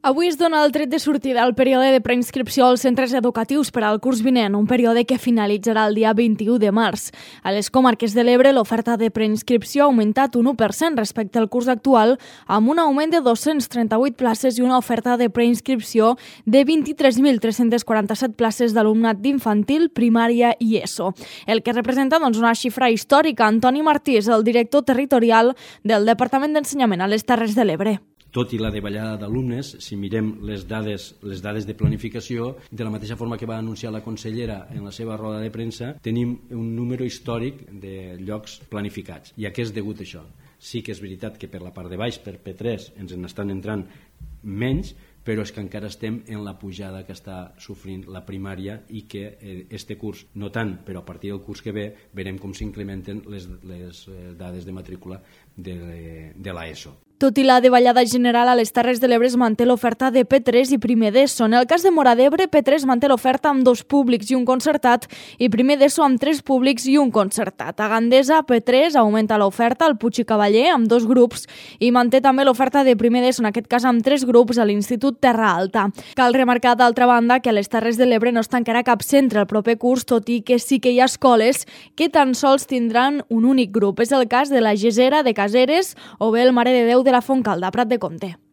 Avui es dona el tret de sortida al període de preinscripció als centres educatius per al curs vinent, un període que finalitzarà el dia 21 de març. A les comarques de l'Ebre, l'oferta de preinscripció ha augmentat un 1% respecte al curs actual, amb un augment de 238 places i una oferta de preinscripció de 23.347 places d'alumnat d'infantil, primària i ESO. El que representa una xifra històrica. Antoni Martí és el director territorial del Departament d'Ensenyament a les Terres de l'Ebre. Tot i la davallada d'alumnes, si mirem les dades de planificació, de la mateixa forma que va anunciar la consellera en la seva roda de premsa, tenim un número històric de llocs planificats. I a què és degut això? Sí que és veritat que per la part de baix, per P3, ens n'estan entrant menys, però és que encara estem en la pujada que està sofrint la primària i que este curs, no tant, però a partir del curs que ve, veurem com s'incrementen les dades de matrícula de l'ESO. Tot i la davallada general, a les Terres de l'Ebre es manté l'oferta de P3 i primer d'ESO. En el cas de Móra d'Ebre, P3 manté l'oferta amb 2 públics i un concertat i primer d'ESO amb 3 públics i un concertat. A Gandesa, P3 augmenta l'oferta al Puig i Cavaller amb 2 grups i manté també l'oferta de primer d'ESO, en aquest cas amb 3 grups, a l'Institut Terra Alta. Cal remarcar, d'altra banda, que a les Terres de l'Ebre no es tancarà cap centre el proper curs, tot i que sí que hi ha escoles que tan sols tindran un únic grup. És el cas de la Gesera, de Caseres o bé el Mare de Déu de la Fontcalda, Prat de Comte.